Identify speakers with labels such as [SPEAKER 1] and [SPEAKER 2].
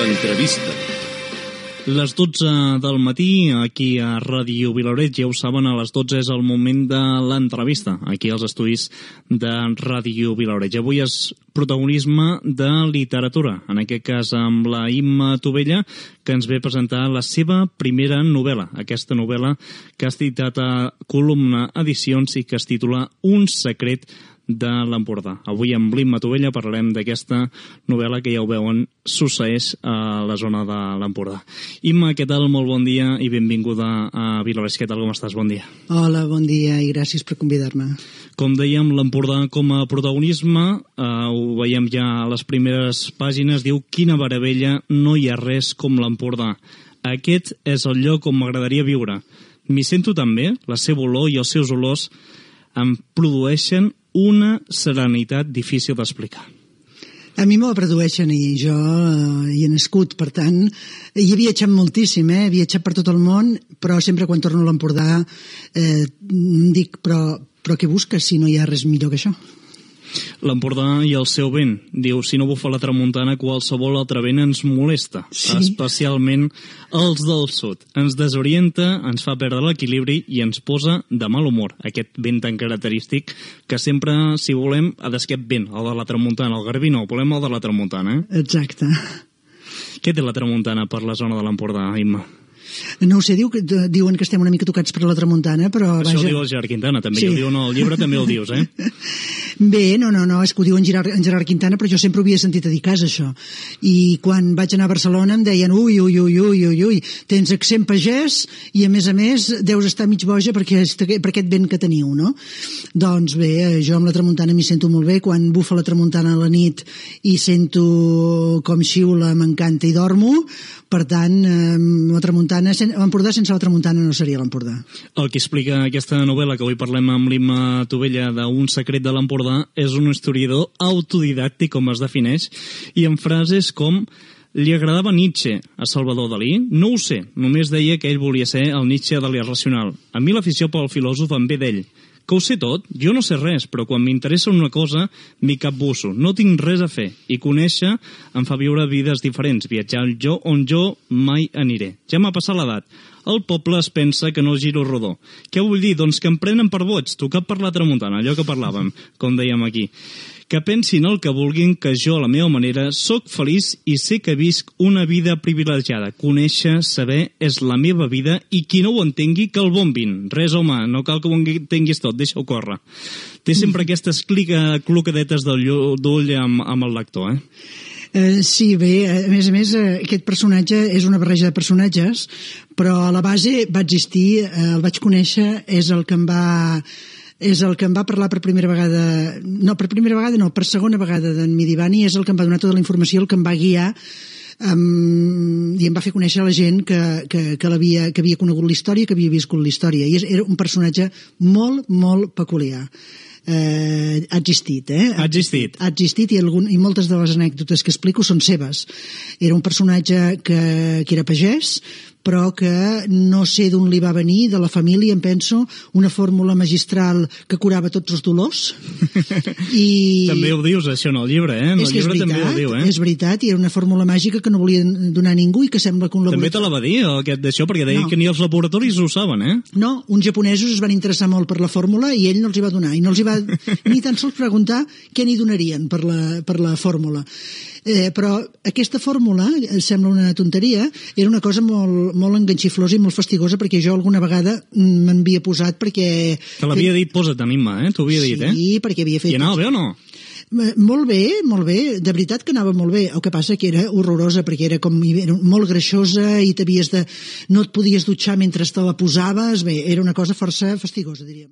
[SPEAKER 1] L'entrevista.
[SPEAKER 2] Les 12 del matí, aquí a Ràdio Vilaoreig, ja ho saben, a les 12 és el moment de l'entrevista, aquí als estudis de Ràdio Vilaoreig. Avui és protagonisme de literatura, en aquest cas amb la Imma Tubella, que ens ve a presentar la seva primera novel·la, aquesta novel·la que ha editat a Columna Edicions i que es titula Un secret de l'Empordà. Avui amb l'Imma Tubella parlarem d'aquesta novel·la que ja ho veuen, succeeix a la zona de l'Empordà. Imma, què tal? Molt bon dia i benvinguda a Vilaoreig. Què tal, com estàs? Bon dia.
[SPEAKER 3] Hola, bon dia i gràcies per convidar-me.
[SPEAKER 2] Com dèiem, l'Empordà com a protagonisme, ho veiem ja a les primeres pàgines, diu: quina meravella, no hi ha res com l'Empordà. Aquest és el lloc on m'agradaria viure. M'hi sento tan bé, la seva olor i els seus olors em produeixen una serenitat difícil d'explicar.
[SPEAKER 3] A mi me'l produeixen i jo hi he nascut, per tant, hi he viatjat moltíssim, he viatjat per tot el món, però sempre quan torno a l'Empordà dic, però què busques si no hi ha res millor que això?
[SPEAKER 2] L'Empordà i el seu vent. Diu, si no bufa la tramuntana, qualsevol altre vent ens molesta, sí. Especialment els del sud. Ens desorienta, ens fa perdre l'equilibri i ens posa de mal humor. Aquest vent tan característic que sempre, si volem, ha d'esquet vent, el de la tramuntana. El garbí no, volem el de la tramuntana.
[SPEAKER 3] Exacte.
[SPEAKER 2] Què té la tramuntana per la zona de l'Empordà, Imma?
[SPEAKER 3] No ho sé, diuen que estem una mica tocats per la tramuntana, però vaja...
[SPEAKER 2] Això ho diu el Gerard Quintana, també, sí. I ho diuen al llibre, també el dius,
[SPEAKER 3] Bé, no, és que ho diu en Gerard Quintana, però jo sempre ho havia sentit a dir cas, això. I quan vaig anar a Barcelona em deien, ui, tens accent pagès i, a més, deus estar mig boja per aquest vent que teniu, no? Doncs bé, jo amb la tramuntana m'hi sento molt bé. Quan bufa la tramuntana a la nit i sento com xiula, m'encanta i dormo. Per tant, l'Empordà sense la tramuntana no seria l'Empordà.
[SPEAKER 2] El que explica aquesta novel·la que avui parlem amb l'Imma Tubella d'Un secret de l'Empordà és un historiador autodidàctic, com es defineix, i en frases com: li agradava Nietzsche a Salvador Dalí? No ho sé, només deia que ell volia ser el Nietzsche de l'irracional. A mi l'afició pel filòsof em ve d'ell. Que ho sé tot? Jo no sé res, però quan m'interessa una cosa m'hi capbusso. No tinc res a fer. I conèixer em fa viure vides diferents, viatjar on jo mai aniré. Ja m'ha passat l'edat. El poble es pensa que no giro rodó. Què vull dir? Doncs que em prenen per boig, tocat per la tramuntana, allò que parlàvem, com dèiem aquí. Que pensin el que vulguin, que jo, a la meva manera, sóc feliç i sé que visc una vida privilegiada. Conèixer, saber, és la meva vida, i qui no ho entengui, que el bombin. Res, home, no cal que ho entenguis tot, deixa-ho córrer. Té sempre aquestes clocadetes d'ull amb el lector,
[SPEAKER 3] Sí, bé, a més, aquest personatge és una barreja de personatges, però a la base va existir, el vaig conèixer, és el que em va parlar per primera vegada, per segona vegada d'en Midibani, és el que em va donar tota la informació, el que em va guiar i em va fer conèixer la gent que havia conegut la història, que havia viscut la història, i era un personatge molt, molt peculiar. Ha existit,
[SPEAKER 2] Ha existit
[SPEAKER 3] i moltes de les anècdotes que explico són seves. Era un personatge que era pagès, però que no sé d'on li va venir, de la família, em penso, una fórmula magistral que curava tots els dolors. I
[SPEAKER 2] també ho dius, això, en el llibre, En el llibre també ho diu,
[SPEAKER 3] És veritat, i era una fórmula màgica que no volia donar a ningú i que sembla que un
[SPEAKER 2] laboratori... També te la va dir, aquest d'això, perquè deia que ni els laboratoris ho saben,
[SPEAKER 3] No, uns japonesos es van interessar molt per la fórmula i ell no els hi va donar, i no els hi va ni tan sols preguntar què n'hi donarien per la fórmula. Però aquesta fórmula, sembla una tonteria, era una cosa molt, molt enganxiflosa i molt fastigosa, perquè jo alguna vegada m'havia posat perquè...
[SPEAKER 2] Te l'havia dit, posa't, Imma, t'ho havia dit,
[SPEAKER 3] Sí, perquè havia fet...
[SPEAKER 2] I anava bé o no?
[SPEAKER 3] Molt bé, de veritat que anava molt bé. El que passa que era horrorosa, perquè era molt greixosa i no et podies dutxar mentre te la posaves. Bé, era una cosa força fastigosa, diríem.